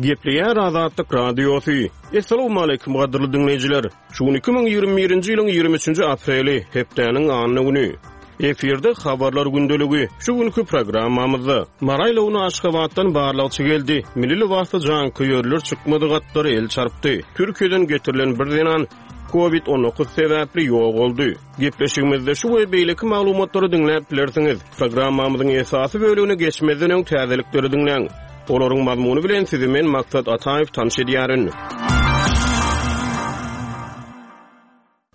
Gepleýär Azatlyk Radiosy. Essalawmaleýkim gadyrly diňleýjiler! Şu gün 2021-nji ýylyň 23-nji apreli, hepdäniň anna güni. Efirde Habarlar gündeligi. Şu günki programmamyzda Mary aýlawyna Aşgabatdan barlagçy geldi. Milli lybasly janköýerler çykmadyk atlara el çarpdy. Türkiýeden getirilen bir zenan Covid 19 sebäpli ýogaldy. Gepleşigimizde şu we beýleki maglumatlary diňläp bilersiňiz. Programmamyzyň esasy bölegine geçmezden öň täzelikleri diňläň. Olaryň mazmuny bilen sizi men Maksat Ataýew tanyş edýärin.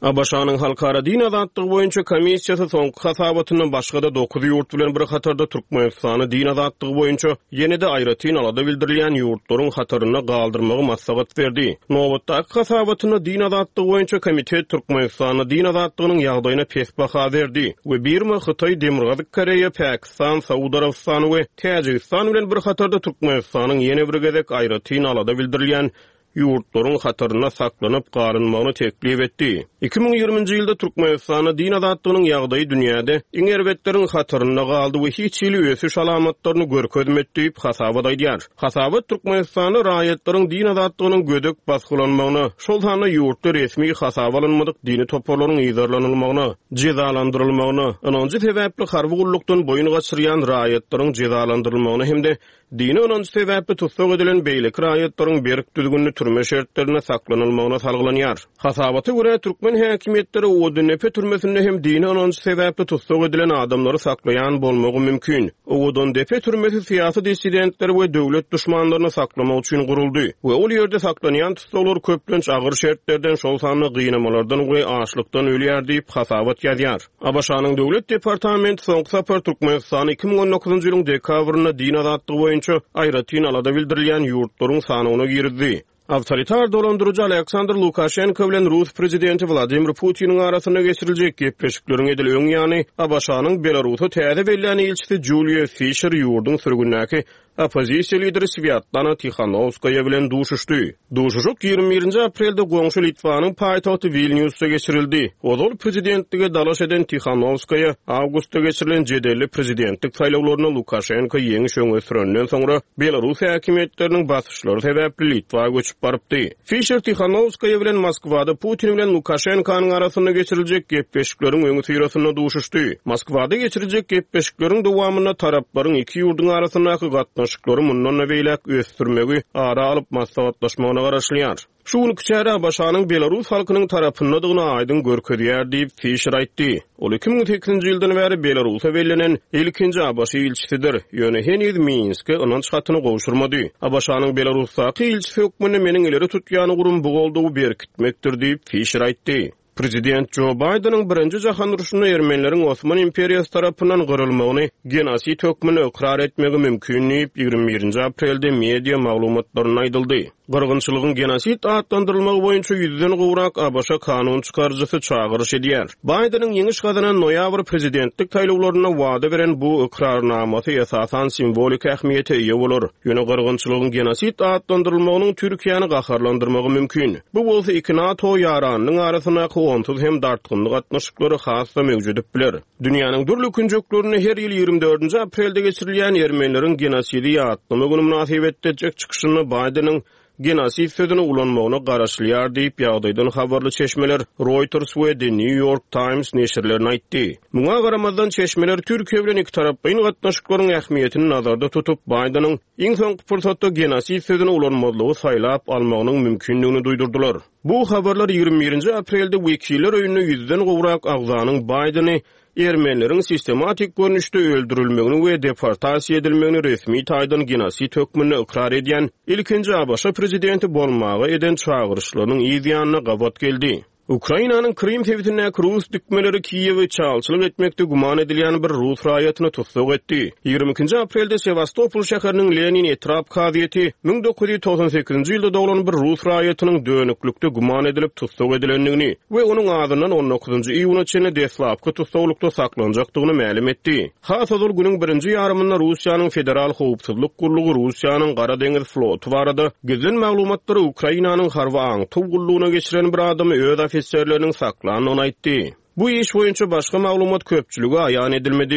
ABŞ-nyň Halkara din azatlygy boýunça komissiýasy soňky hasabatynda başga-da dokuz ýurt bilen bir hatarda Türkmenistany din azatlygy boýunça ýene-de aýratyn alada bildirilýän ýurtlaryň hatarynda galdyrmagy maslahat berdi. Nobatdaky hasabatynda din azatlygy boýunça komitet Türkmenistanda din azatlygynyň ýagdaýyna pes baha berdi we Birma, Hytaý, Demirgazyk Koreýa, Pakistan, Saud Arabystany we Täjigistan bilen bir hatarda Türkmenistanyň ýene bir gezek aýratyn alada bildirilýän ýurtlaryň hatarynda saklanyp galynmagyny teklip etdi. 2020-nji ýylda Türkmenistanda din azatlygynyň ýagdaýy dünýäde iň erbetleriň hatarynda galdy we hiç hili ösüş alamatlaryny görkezmedi diýip, hasabat aýdýar. Hasabat Türkmenistanda raýatlaryň din azatlygynyň gödek basgylanmagyna, şol sanda ýurtda resmi hasaba alynmadyk dini toparlaryň yzarlanylmagyna, jezalandyrylmagyna, ynanjy sebäpli harby gullukdan boýun gaçyrýan raýatlaryň jezalandyrylmagyna hem-de Dini ynanç sebäpli tussag edilen beýleki raýatlaryň berk düzgünli türme şertlerinde saklanylmagyna salgylanýar. Hasabata görä, türkmen häkimiýetleri Owadandepe türmesinde hem dini ynanç sebäpli tussag edilen adamlary saklaýan bolmagy mümkin. Owadandepe türmesi syýasy dissidentleri we döwlet duşmanlaryny saklamak üçin guruldy we ol ýerde saklanýan tussaglar köplenç agyr şertlerden, şol sanda gynamalardan we açlykdan ölýär diýip, hasabat ýazýar. ABŞ-nyň Döwlet departamenti soňky sapar Türkmenistany 2019-njy ýylyň dekabrynda din azatlygy boýunça aýratyn alada bildirilýän ýurtlaryň sanawyna girizdi. Awtoritar dolandyryjy Aleksandr Lukaşenko bilen rus prezidenti Wladimir Putiniň arasynda geçiriljek gepleşikleriň edil öň ýany ABŞ-nyň Belarusa täze bellän ilçisi Juliýa Fişer ýurduň sürgündäki Oppozisiýa lideri Swýatlana Tihanowskaýa bilen duşuşdy. Duşuşyk 21-nji aprelde goňşy Litwanyň paýtagty Wilnýusda geçirildi. Ozal prezidentlige dalaş eden Tihanowskaýa awgustda geçirilen jedelli prezidentlik saýlawlarynda Lukaşenko ýeňiş öňe sürenden soňra belarus häkimiýetleriniň basyşlary sebäpli Litwa göçüp barypdy. Fişer Tihanowskaýa bilen Moskwada Putin bilen Lukaşenkonyň arasynda geçiriljek gepleşikleriň öňüsyrasynda duşuşdy. Moskwada geçiriljek gepleşikleriň dowamynda taraplaryň iki ýurduň arasyndaky gatnaşyklary mundan-da beýläk ösdürmegi ara alyp maslahatlaşmagyna garaşylýar. Şu günki çäre ABŞ-nyň belarus halkynyň tarapyndadygyny aýdyň görkezýär diýip, Fişer aýtdy. Ol 2008-nji ýyldan bäri Belarusa bellenen ilkinji ABŞ ilçisidir, ýöne heniz Minske ynanç hatyny gowşurmady. ABŞ-nyň Belarusdaky ilçisi hökmünde meniň ileri tutýan ugrum bu goldawy berkitmekdir diýip, Fişer aýtdy. Prezident Jo Baýdeniň Birinji jahan urşunda ermenileriň Osman imperiýasy tarapyndan gyrylmagyny genosid hökmünde ykrar etmegi mümkin diýip, 21-nji aprelde media maglumatlarynda aýdyldy. Gyrgynçylygyň genosid atlandyrylmagy boýunça ýüzden gowrak ABŞ kanun çykaryjysy çagyryş edýär. Baýdeniň ýeňiş gazanan noýabr prezidentlik saýlawlarynda wada beren bu ykrarnamasy esasan simwolik ähmiýete eýe bolar. Ýöne gyrgynçylygyň genosid atlandyrylmagynyň Türkiýäni gaharlandyrmagy mümkin. Bu bolsa iki NATO ýaranynyň arasyndaky onsuz hem dartgynly gatnaşyklary has-da möwjedip biler. Dünýäniň dürli künjeklerinde her ýyl 24-nji aprelde geçirilýän ermenileriň genosidi ýatlama güni mynasybetli etjek çykyşynda Baýdeniň genosid sözüni ulanmagyna garaşylýar diýip, ýagdaýdan habarly çeşmeler Reuters we The New York Times neşirlerine aýtdy. Muňa garamazdan, çeşmeler Türkiýe bilen ikitaraplaýyn gatnaşyklaryň ähmiýetini nazarda tutup, Baýdeniň iň soňky pursatda genosid sözüni ulanmazlygy saýlap almagynyň mümkindigini duýdurdylar. Bu habarlar 21-nji aprelde Wekiller öýünde ýüzden gowrak agzanyň Baýdeni ermenileriň sistematik görnüşde öldürilmegini we deportasiýa edilmegini resmi taýdan genosid hökmünde ykrar edýän ilkinji ABŞ prezidenti bolmaga eden çagyryşlarynyň yz ýanyna gabat geldi. Ukrainanyň Krym sebitindäki rus dikmeleri Kiýewe çalçylyk etmekde güman edilýän bir rus raýatyny tussag etdi. 22-nji aprelde Sewastopol şäheriniň Lenin etrap kazyýeti 1998-nji ýylda doglan bir rus raýatynyň dönüklikde güman edilip tussag edilendigini we onuň azyndan on dokuzynjy iýuna çenli deslapky tussaglykda saklanjakdygyny mälim etdi. Has ozal günüň birinji ýarymynda Russiýanyň Federal howpsuzlyk gullugy Russiýanyň Gara deňiz floty barada gizlin maglumatlary Ukrainanyň harby aňtaw gullugyna geçiren bir adamy öz ofiserleriniň saklandygyny aýtdy. Bu iş boýunça başga maglumat köpçülige aýan edilmedi.